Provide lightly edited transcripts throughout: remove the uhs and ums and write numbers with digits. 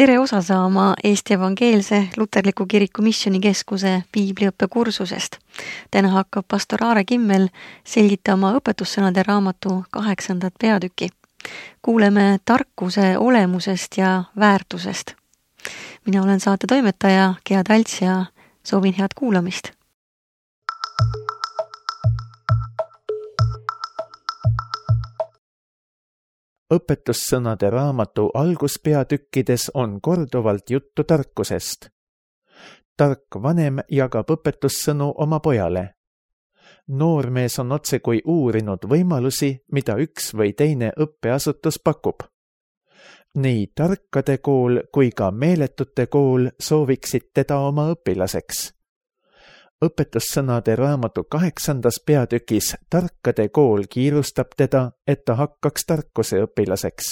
Tere osa saama Eesti Evangeelse Luterliku Kiriku Missioonikeskuse piibliõppe kursusest. Täna hakkab pastor Aare Kimmel selgitama õpetussõnade raamatu 8. peatüki. Kuuleme tarkuse olemusest ja väärtusest. Mina olen saate toimetaja Gea Talts ja soovin head kuulamist. Õpetussõnade raamatu alguspeatükkides on korduvalt juttu tarkusest. Tark vanem jagab õpetussõnu oma pojale. Noormees on otsekui uurinud võimalusi, mida üks või teine õppeasutus pakub. Nii tarkade kool kui ka meeletute kool sooviksid teda oma õpilaseks. Õpetussõnade raamatu 8. peatükis tarkade kool kiirustab teda, et ta hakkaks tarkuse õpilaseks.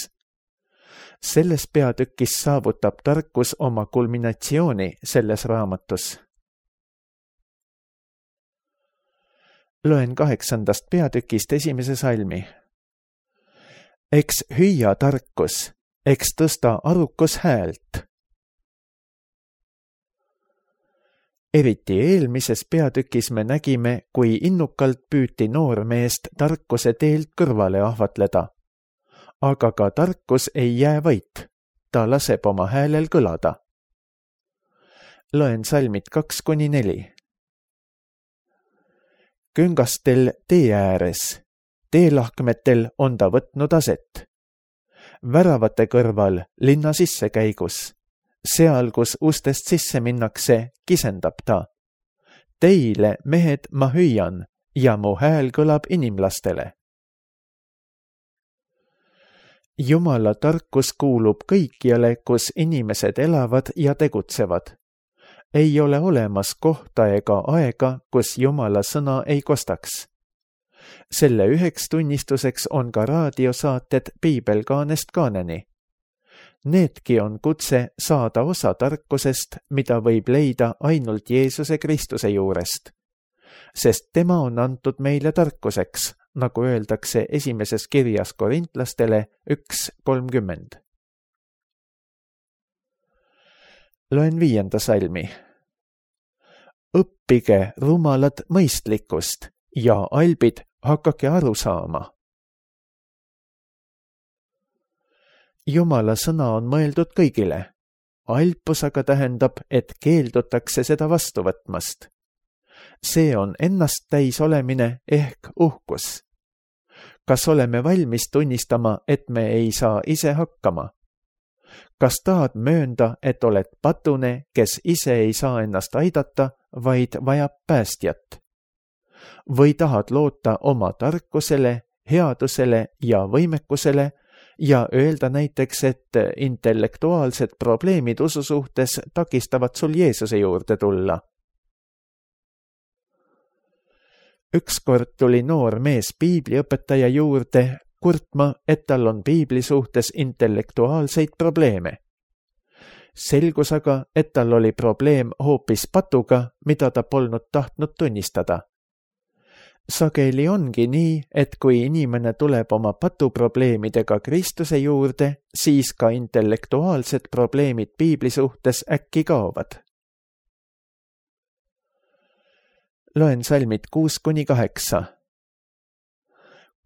Selles peatükis saavutab tarkus oma kulminatsiooni selles raamatus. Loen 8. peatükist 1. salmi. Eks hüüa tarkus, eks tõsta arukus häält. Eriti eelmises peatükis me nägime, kui innukalt püüti noormeest tarkuse teelt kõrvale ahvatleda. Aga ka tarkus ei jää vait, ta laseb oma häälel kõlada. Loen salmid 2-4. Küngastel tee ääres, teelahkmetel on ta võtnud aset. Väravate kõrval linna sissekäigus. Seal, kus ustest sisse minnakse, kisendab ta. Teile, mehed, ma hüüan ja mu hääl kõlab inimlastele. Jumala tarkus kuulub kõikjale, kus inimesed elavad ja tegutsevad. Ei ole olemas kohta ega aega, kus Jumala sõna ei kostaks. Selle üheks tunnistuseks on ka raadiosaated Piibelkaanest kaaneni. Needki on kutse saada osa tarkusest, mida võib leida ainult Jeesuse Kristuse juurest. Sest tema on antud meile tarkuseks, nagu öeldakse esimeses kirjas Korintlastele 1:30. Loen 5. salmi. Õppige rumalad mõistlikkust ja albid hakake aru saama. Jumala sõna on mõeldud kõigile. Alpus aga tähendab, et keeldutakse seda vastu võtmast. See on ennast täis olemine ehk uhkus. Kas oleme valmis tunnistama, et me ei saa ise hakkama? Kas tahad möönda, et oled patune, kes ise ei saa ennast aidata, vaid vajab päästjat? Või tahad loota oma tarkusele, headusele ja võimekusele ja öelda näiteks, et intellektuaalsed probleemid usu suhtes takistavad sul Jeesuse juurde tulla? Ükskord tuli noor mees piibliõpetaja juurde kurtma, et tal on piibli suhtes intellektuaalseid probleeme. Selgus aga, et tal oli probleem hoopis patuga, mida ta polnud tahtnud tunnistada. Sageli ongi nii, et kui inimene tuleb oma patuprobleemidega Kristuse juurde, siis ka intellektuaalsed probleemid piibli suhtes äkki kaovad. Loen salmid 6-8.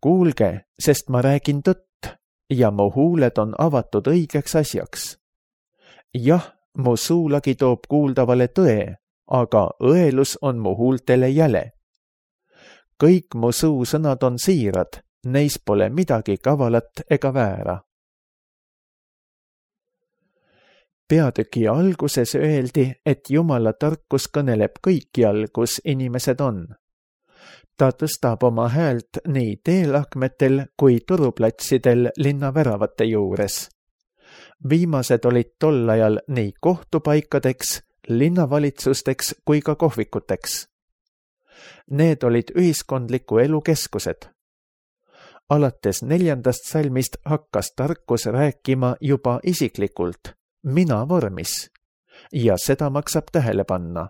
Kuulge, sest ma räägin tõtt ja mu huuled on avatud õigeks asjaks. Jah, mu suulagi toob kuuldavale tõe, aga õelus on mu huultele jäle. Kõik mu suusõnad on siirad, neis pole midagi kavalat ega väära. Peatüki alguses öeldi, et Jumala tarkus kõneleb kõikjal, kus inimesed on. Ta tõstab oma häält nii teelahkmetel kui turuplatsidel linna väravate juures. Viimased olid tol ajal nii kohtupaikadeks, linnavalitsusteks kui ka kohvikuteks. Need olid ühiskondliku elu keskused. Alates 4. salmist hakkas tarkus rääkima juba isiklikult, mina vormis, ja seda maksab tähele panna.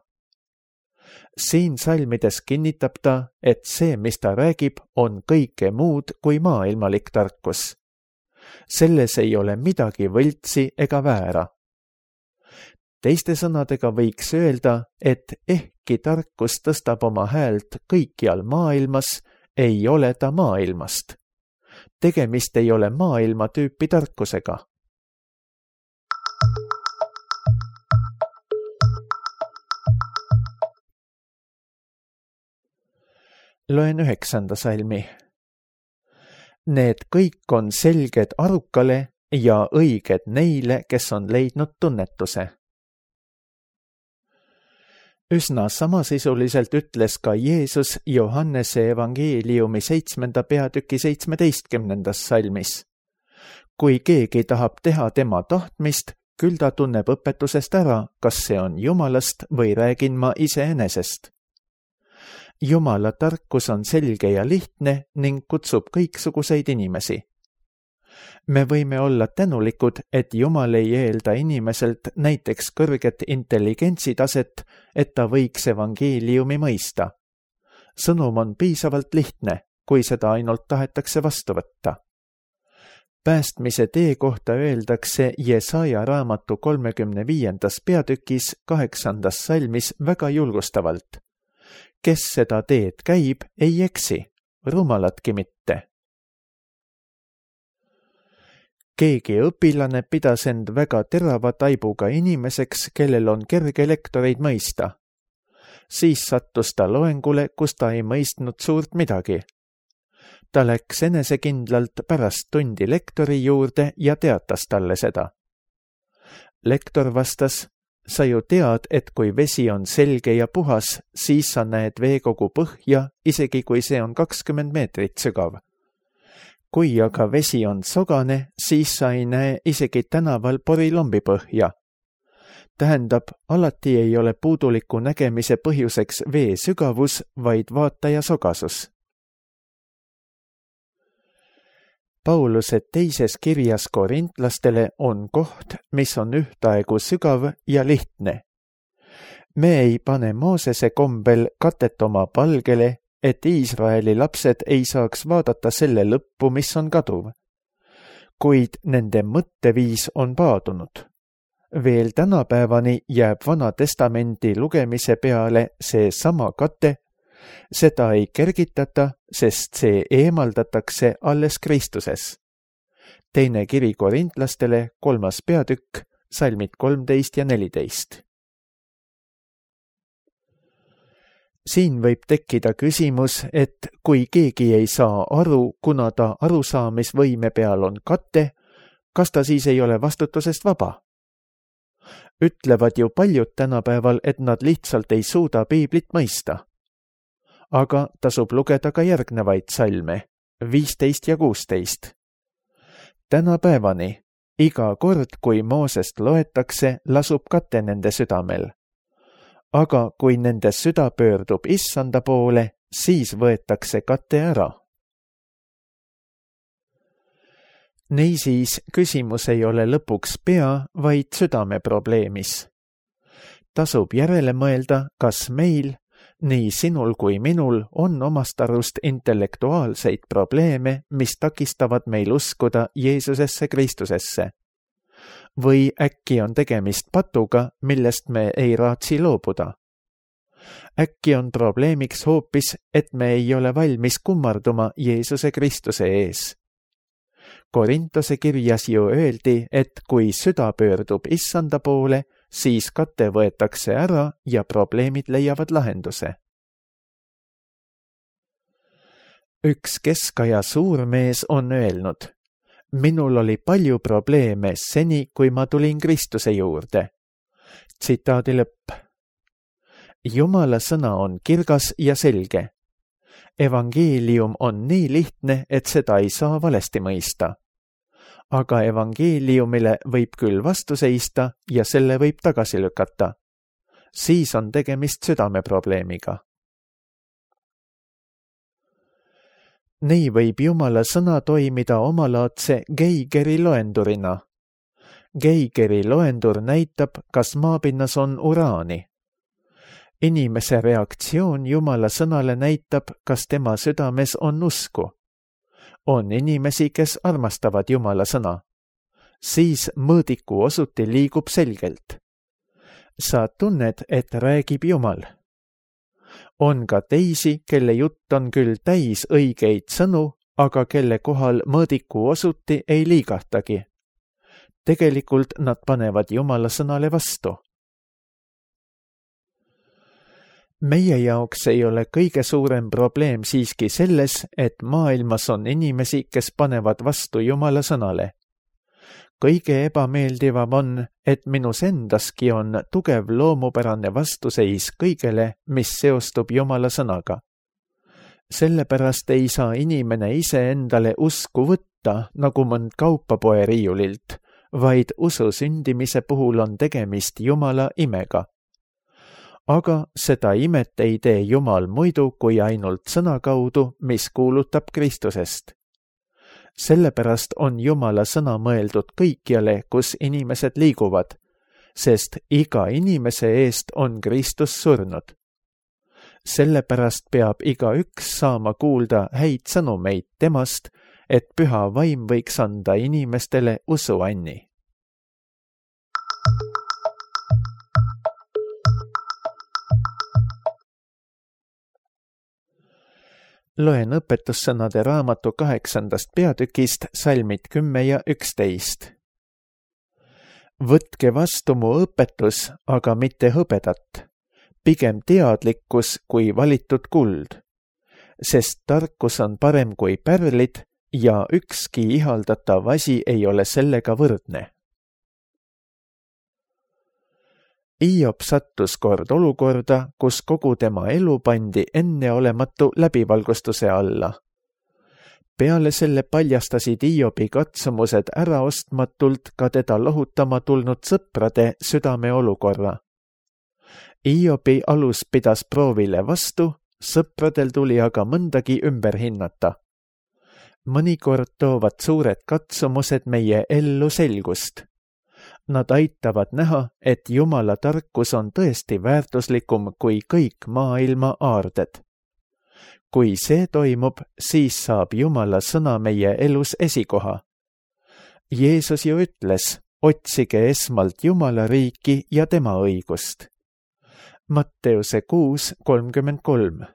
Siin salmides kinnitab ta, et see, mis ta räägib, on kõike muud kui maailmalik tarkus. Selles ei ole midagi võltsi ega väära. Teiste sõnadega võiks öelda, et ehkki tarkus tõstab oma häält kõikjal maailmas, ei ole ta maailmast. Tegemist ei ole maailma tüüpi tarkusega. Loen 9. salmi. Need kõik on selged arukale ja õiged neile, kes on leidnud tunnetuse. Üsna samasisuliselt ütles ka Jeesus Johannese evangeeliumi 7. peatüki 17. salmis. Kui keegi tahab teha tema tahtmist, küll ta tunneb õpetusest ära, kas see on Jumalast või räägin ma iseenesest. Jumala tarkus on selge ja lihtne ning kutsub kõiksuguseid inimesi. Me võime olla tänulikud, et Jumal ei eelda inimeselt näiteks kõrget intelligentsitaset, et ta võiks evangeeliumi mõista. Sõnum on piisavalt lihtne, kui seda ainult tahetakse vastu võtta. Päästmise tee kohta öeldakse Jesaja raamatu 35. peatükis 8. salmis väga julgustavalt. Kes seda teed käib, ei eksi, rumaladki mitte. Keegi õpilane pidas end väga terava taibuga inimeseks, kellel on kerge lektoreid mõista. Siis sattus ta loengule, kus ta ei mõistnud suurt midagi. Ta läks enesekindlalt pärast tundi lektori juurde ja teatas talle seda. Lektor vastas, sa ju tead, et kui vesi on selge ja puhas, siis sa näed veekogu põhja, isegi kui see on 20 meetrit sügav. Kui aga vesi on sogane, siis sa ei näe isegi tänaval porilombi põhja. Tähendab, alati ei ole puuduliku nägemise põhjuseks vee sügavus, vaid vaataja sogasus. Pauluse teises kirjas korintlastele on koht, mis on ühtaegu sügav ja lihtne. Me ei pane Moosese kombel katet oma palgele, et Iisraeli lapsed ei saaks vaadata selle lõppu, mis on kaduv. Kuid nende mõtteviis on paadunud. Veel tänapäevani jääb Vana Testamendi lugemise peale see sama kate, seda ei kergitata, sest see eemaldatakse alles Kristuses. Teine kiri korintlastele, 3. peatükk, salmid 13 ja 14. Siin võib tekkida küsimus, et kui keegi ei saa aru, kuna ta arusaamisvõime peal on kate, kas ta siis ei ole vastutusest vaba? Ütlevad ju paljud tänapäeval, et nad lihtsalt ei suuda piiblit mõista. Aga tasub lugeda ka järgnevaid salme, 15 ja 16. Tänapäevani, iga kord, kui Moosest loetakse, lasub kate nende südamel. Aga kui nende süda pöördub Issanda poole, siis võetakse kate ära. Niisiis, küsimus ei ole lõpuks pea, vaid südame probleemis. Tasub järele mõelda, kas meil, nii sinul kui minul, on omast arust intellektuaalseid probleeme, mis takistavad meil uskuda Jeesusesse Kristusesse. Või äkki on tegemist patuga, millest me ei raatsi loobuda. Äkki on probleemiks hoopis, et me ei ole valmis kummarduma Jeesuse Kristuse ees. Korintose kirjas ju öeldi, et kui süda pöördub Issanda poole, siis kate võetakse ära ja probleemid leiavad lahenduse. Üks keskaja suurmees on öelnud, minul oli palju probleeme seni, kui ma tulin Kristuse juurde. Tsitaadi lõpp. Jumala sõna on kirgas ja selge. Evangeelium on nii lihtne, et seda ei saa valesti mõista. Aga evangeeliumile võib küll vastu seista ja selle võib tagasi lükata. Siis on tegemist südameprobleemiga. Nii võib Jumala sõna toimida omalaadse Geigeri loendurina. Geigeri loendur näitab, kas maapinnas on uraani. Inimese reaktsioon Jumala sõnale näitab, kas tema südames on usku. On inimesi, kes armastavad Jumala sõna. Siis mõõdiku osuti liigub selgelt. sa tunned, et räägib Jumal. On ka teisi, kelle jutt on küll täis õigeid sõnu, aga kelle kohal mõõdiku osuti ei liigahtagi. Tegelikult nad panevad Jumala sõnale vastu. Meie jaoks ei ole kõige suurem probleem siiski selles, et maailmas on inimesi, kes panevad vastu Jumala sõnale. Kõige ebameeldivam on, et minus endaski on tugev loomupärane vastuseis kõigele, mis seostub Jumala sõnaga. Sellepärast ei saa inimene ise endale usku võtta nagu mõnd kaupapoe riiulilt, vaid usu sündimise puhul on tegemist Jumala imega. Aga seda imet ei tee Jumal muidu kui ainult sõna kaudu, mis kuulutab Kristusest. Sellepärast on Jumala sõna mõeldud kõikjale, kus inimesed liiguvad, sest iga inimese eest on Kristus surnud. Sellepärast peab igaüks saama kuulda häid sõnumeid temast, et püha vaim võiks anda inimestele usuanni. Loen õpetussõnade raamatu 8. peatükist salmid 10 ja 11. Võtke vastu mu õpetus, aga mitte hõbedat, pigem teadlikkus kui valitud kuld, sest tarkus on parem kui pärlid ja ükski ihaldatav asi ei ole sellega võrdne. Hiob sattus kord olukorda, kus kogu tema elu pandi enneolematu läbivalgustuse alla. Peale selle paljastasid Hiobi katsumused äraostmatult ka teda lohutama tulnud sõprade südame olukorra. Hiobi alus pidas proovile vastu, sõpradel tuli aga mõndagi ümber hinnata. Mõnikord toovad suured katsumused meie ellu selgust. Nad aitavad näha, et Jumala tarkus on tõesti väärtuslikum kui kõik maailma aarded. Kui see toimub, siis saab Jumala sõna meie elus esikoha. Jeesus ju ütles, otsige esmalt Jumala riiki ja tema õigust. Matteuse 6:33.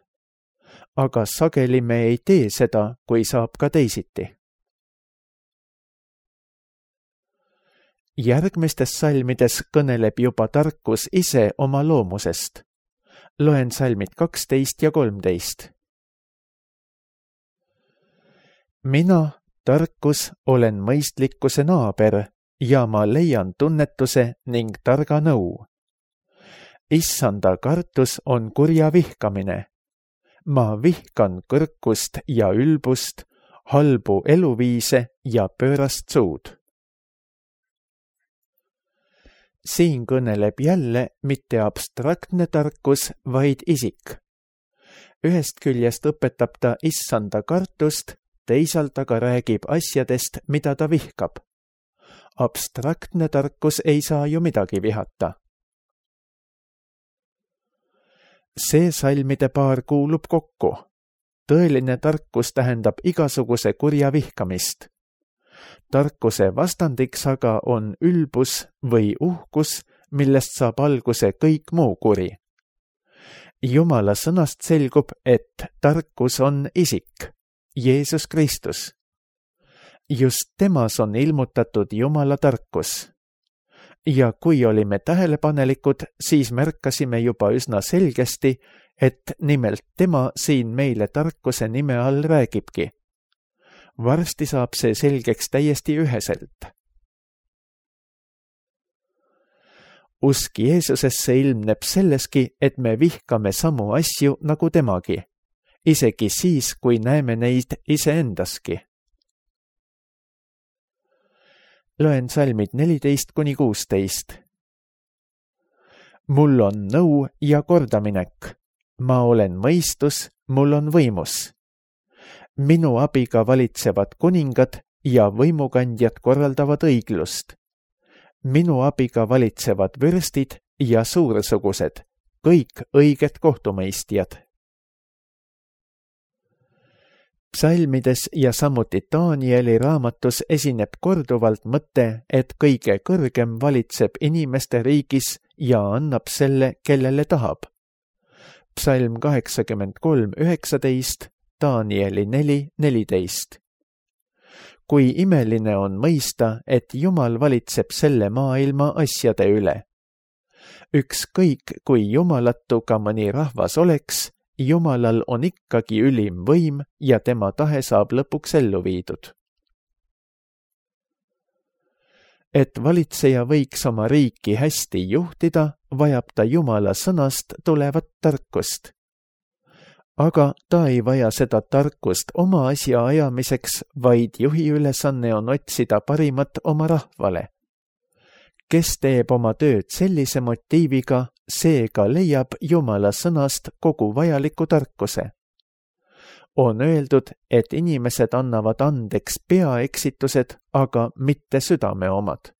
Aga sageli me ei tee seda, kui saab ka teisiti. Järgmistes salmides kõneleb juba tarkus ise oma loomusest. Loen salmid 12 ja 13. Mina, tarkus, olen mõistlikkuse naaber ja ma leian tunnetuse ning targa nõu. Issanda kartus on kurja vihkamine. Ma vihkan kõrkust ja ülbust, halbu eluviise ja pöörast suud. Siin kõneleb jälle mitte abstraktne tarkus, vaid isik. Ühest küljest õpetab ta issanda kartust, teisalt aga räägib asjadest, mida ta vihkab. Abstraktne tarkus ei saa ju midagi vihata. See salmide paar kuulub kokku. Tõeline tarkus tähendab igasuguse kurja vihkamist. Tarkuse vastandiks aga on ülbus või uhkus, millest saab alguse kõik muu kuri. Jumala sõnast selgub, et tarkus on isik, Jeesus Kristus. Just temas on ilmutatud Jumala tarkus. Ja kui olime tähelepanelikud, siis märkasime juba üsna selgesti, et nimelt tema siin meile tarkuse nime all räägibki. Varsti saab see selgeks täiesti üheselt. Usk Jeesusesse ilmneb selleski, et me vihkame samu asju nagu temagi, isegi siis, kui näeme neid iseendaski. Loen salmid 14-16. Mul on nõu ja kordaminek. Ma olen mõistus, mul on võimus. Minu abiga valitsevad kuningad ja võimukandjad korraldavad õiglust. Minu abiga valitsevad vürstid ja suursugused, kõik õiged kohtumõistjad. Psalmides ja samuti Danieli raamatus esineb korduvalt mõte, et kõige kõrgem valitseb inimeste riigis ja annab selle, kellele tahab. Psalm 83:19, Danieli 4:14. Kui imeline on mõista, et Jumal valitseb selle maailma asjade üle. Ükskõik, kui jumalatu ka mõni rahvas oleks, Jumalal on ikkagi ülim võim ja tema tahe saab lõpuks ellu viidud. Et valitseja võiks oma riiki hästi juhtida, vajab ta Jumala sõnast tulevat tarkust. Aga ta ei vaja seda tarkust oma asja ajamiseks, vaid juhi ülesanne on otsida parimat oma rahvale. Kes teeb oma tööd sellise motiiviga, see ka leiab Jumala sõnast kogu vajaliku tarkuse. On öeldud, et inimesed annavad andeks peaeksitused, aga mitte südame omad.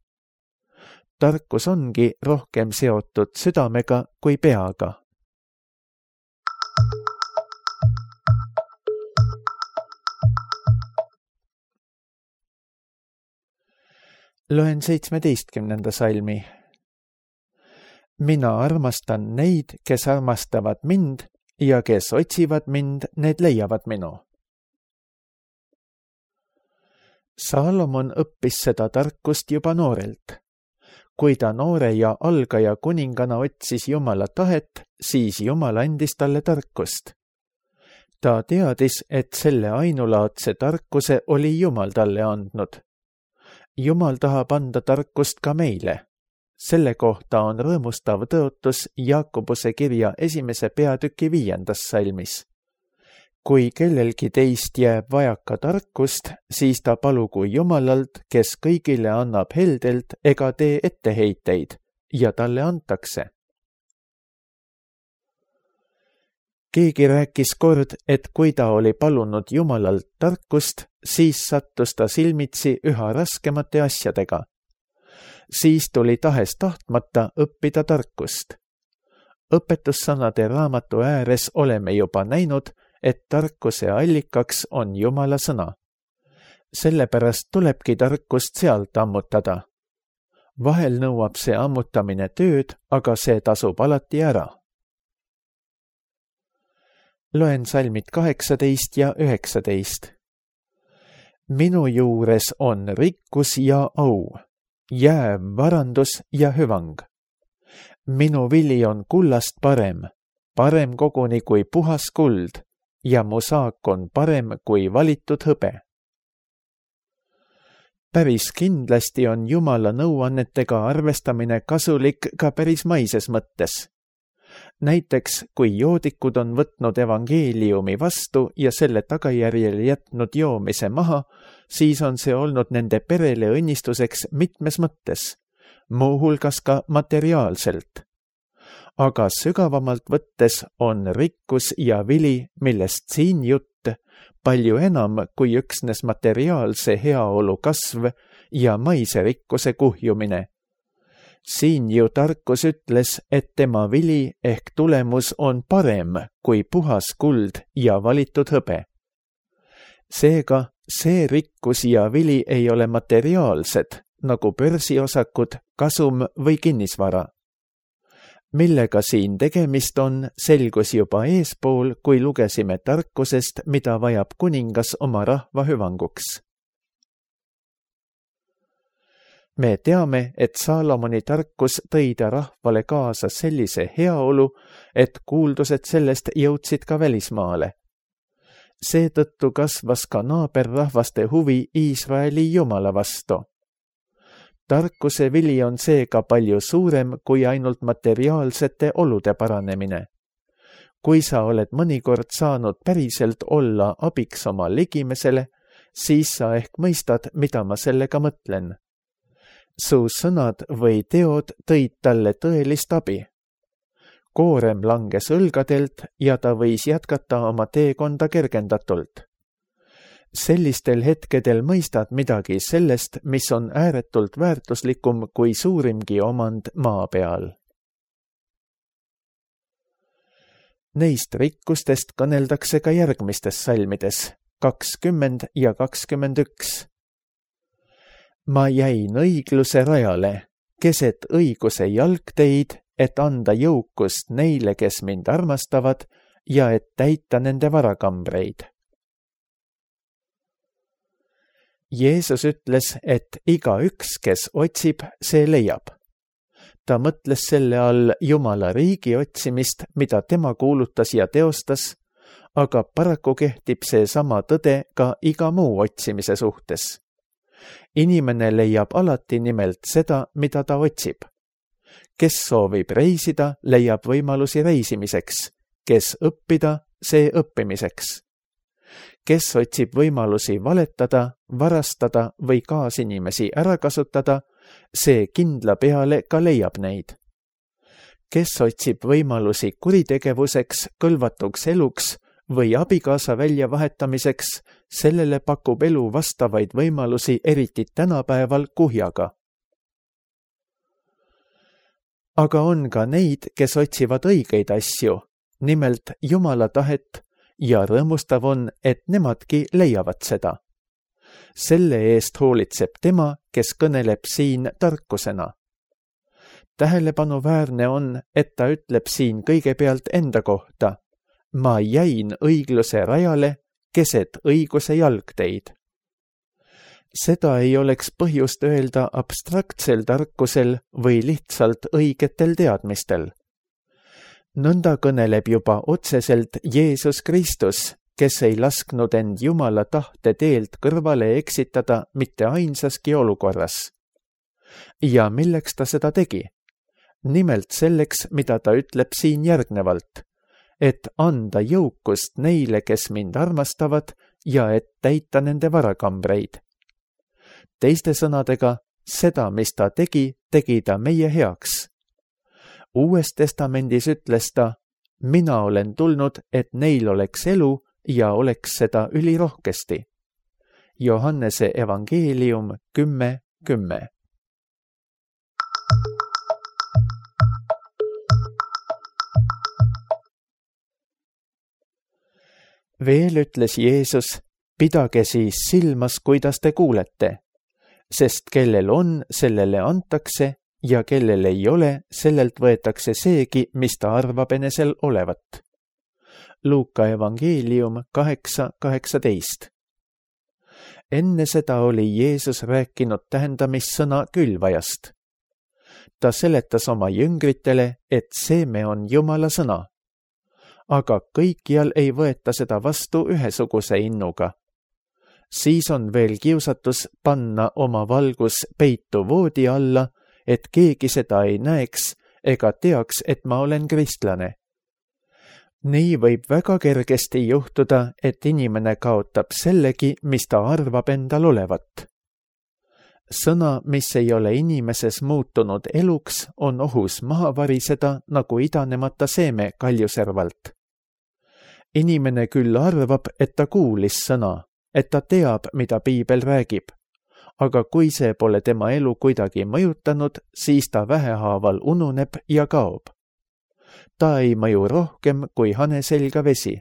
Tarkus ongi rohkem seotud südamega kui peaga. Loen 17. salmi. Mina armastan neid, kes armastavad mind ja kes otsivad mind, need leiavad minu. Saalomon õppis seda tarkust juba noorelt. Kui ta noore ja algaja kuningana otsis Jumala tahet, siis Jumal andis talle tarkust. Ta teadis, et selle ainulaadse tarkuse oli Jumal talle andnud. Jumal tahab anda tarkust ka meile. Selle kohta on rõõmustav tõotus Jaakobuse kirja 1. peatüki 5. salmis. Kui kellelgi teist jääb vajaka tarkust, siis ta palugu Jumalalt, kes kõigile annab heldelt ega tee etteheiteid, ja talle antakse. Keegi rääkis kord, et kui ta oli palunud Jumalalt tarkust, siis sattus ta silmitsi üha raskemate asjadega. Siis tuli tahes-tahtmata õppida tarkust. Õpetussõnade raamatu ääres oleme juba näinud, et tarkuse allikaks on Jumala sõna. Sellepärast tulebki tarkust sealt ammutada. Vahel nõuab see ammutamine tööd, aga see tasub alati ära. Loen salmid 18 ja 19. Minu juures on rikkus ja au, jääv varandus ja hüvang. Minu vili on kullast parem koguni kui puhas kuld, ja mu saak on parem kui valitud hõbe. Päris kindlasti on Jumala nõuannetega arvestamine kasulik ka päris maises mõttes. Näiteks, kui joodikud on võtnud evangeeliumi vastu ja selle tagajärjel jätnud joomise maha, siis on see olnud nende perele õnnistuseks mitmes mõttes, muuhulgas ka materiaalselt. Aga sügavamalt võttes on rikkus ja vili, millest siin jutt, palju enam kui üksnes materiaalse heaolu kasv ja maise rikkuse kuhjumine. Siin ju tarkus ütles, et tema vili ehk tulemus on parem kui puhas kuld ja valitud hõbe. Seega, see rikkus ja vili ei ole materiaalsed, nagu börsiosakud, kasum või kinnisvara. Millega siin tegemist on, selgus juba eespool, kui lugesime tarkusest, mida vajab kuningas oma rahva hüvanguks. Me teame, et Saalomoni tarkus tõi ta rahvale kaasa sellise heaolu, et kuuldused sellest jõudsid ka välismaale. Seetõttu kasvas ka naaberrahvaste huvi Iisraeli Jumala vastu. Tarkuse vili on seega palju suurem kui ainult materiaalsete olude paranemine. Kui sa oled mõnikord saanud päriselt olla abiks oma ligimesele, siis sa ehk mõistad, mida ma sellega mõtlen. Su sõnad või teod tõid talle tõelist abi. Koorem langes õlgadelt ja ta võis jätkata oma teekonda kergendatult. Sellistel hetkedel mõistad midagi sellest, mis on ääretult väärtuslikum kui suurimgi omand maa peal. Neist rikkustest kõneldakse ka järgmistes salmides, 20 ja 21. Ma jäin õigluse rajale, keset õiguse jalgteid et anda jõukust neile, kes mind armastavad ja et täita nende varakambreid. Jeesus ütles, et igaüks, kes otsib, see leiab. Ta mõtles selle all Jumala riigi otsimist, mida tema kuulutas ja teostas, aga paraku kehtib see sama tõde ka iga muu otsimise suhtes. Inimene leiab alati nimelt seda, mida ta otsib. Kes soovib reisida, leiab võimalusi reisimiseks. Kes õppida, see õppimiseks. Kes otsib võimalusi valetada, varastada või kaasinimesi ära kasutada, see kindla peale ka leiab neid. Kes otsib võimalusi kuritegevuseks, kõlvatuks eluks või abikaasa väljavahetamiseks, sellele pakub elu vastavaid võimalusi eriti tänapäeval kuhjaga. Aga on ka neid, kes otsivad õigeid asju, nimelt Jumala tahet, ja rõõmustav on, et nemadki leiavad seda. Selle eest hoolitseb tema, kes kõneleb siin tarkusena. Tähelepanuväärne on, et ta ütleb siin kõigepealt enda kohta. Ma jäin õigluse rajale, keset õiguse jalgteid. Seda ei oleks põhjust öelda abstraktsel tarkusel või lihtsalt õigetel teadmistel. Nõnda kõneleb juba otseselt Jeesus Kristus, kes ei lasknud end Jumala tahte teelt kõrvale eksitada mitte ainsaski olukorras. Ja milleks ta seda tegi? Nimelt selleks, mida ta ütleb siin järgnevalt, et anda jõukust neile, kes mind armastavad ja et täita nende varakambreid. Teiste sõnadega, seda, mis ta tegi ta meie heaks. Uues testamendis ütles ta, mina olen tulnud, et neil oleks elu ja oleks seda ülirohkesti. Johannese evangeelium 10:10. Veel ütles Jeesus, pidage siis silmas, kuidas te kuulete, sest kellel on, sellele antakse, ja kellel ei ole, sellelt võetakse seegi, mis ta arvab enesel olevat. Luuka evangeelium 8:18. Enne seda oli Jeesus rääkinud tähendamissõna külvajast. Ta seletas oma jüngritele, et seeme on Jumala sõna. Aga kõikjal ei võeta seda vastu ühesuguse innuga. Siis on veel kiusatus panna oma valgus peitu voodi alla, et keegi seda ei näeks ega teaks, et ma olen kristlane. Nii võib väga kergesti juhtuda, et inimene kaotab sellegi, mis ta arvab endal olevat. Sõna, mis ei ole inimeses muutunud eluks, on ohus maha variseda nagu idanemata seeme kaljuservalt. Inimene küll arvab, et ta kuulis sõna, et ta teab, mida piibel räägib. Aga kui see pole tema elu kuidagi mõjutanud, siis ta vähehaaval ununeb ja kaob. Ta ei mõju rohkem kui hane selga vesi.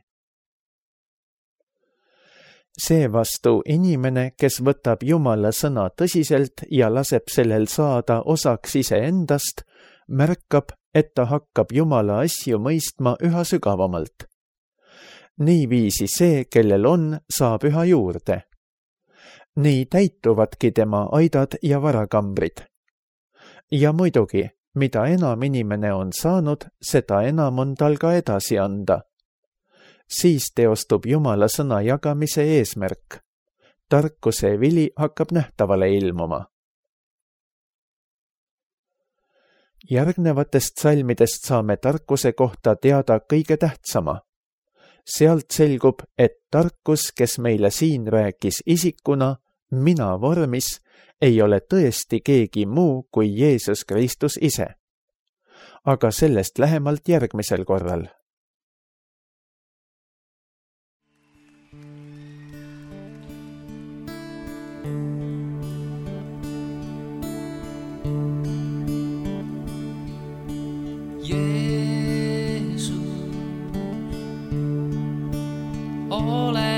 Seevastu inimene, kes võtab Jumala sõna tõsiselt ja laseb sellel saada osaks iseendast, märkab, et ta hakkab Jumala asju mõistma üha sügavamalt. Niiviisi see, kellel on, saab üha juurde. Nii täituvadki tema aidad ja varakambrid. Ja muidugi, mida enam inimene on saanud, seda enam on tal ka edasi anda. Siis teostub Jumala sõna jagamise eesmärk. Tarkuse vili hakkab nähtavale ilmuma. Järgnevatest salmidest saame tarkuse kohta teada kõige tähtsama. Sealt selgub, et tarkus, kes meile siin rääkis isikuna, mina vormis, ei ole tõesti keegi muu kui Jeesus Kristus ise. Aga sellest lähemalt järgmisel korral. Jeesus, ole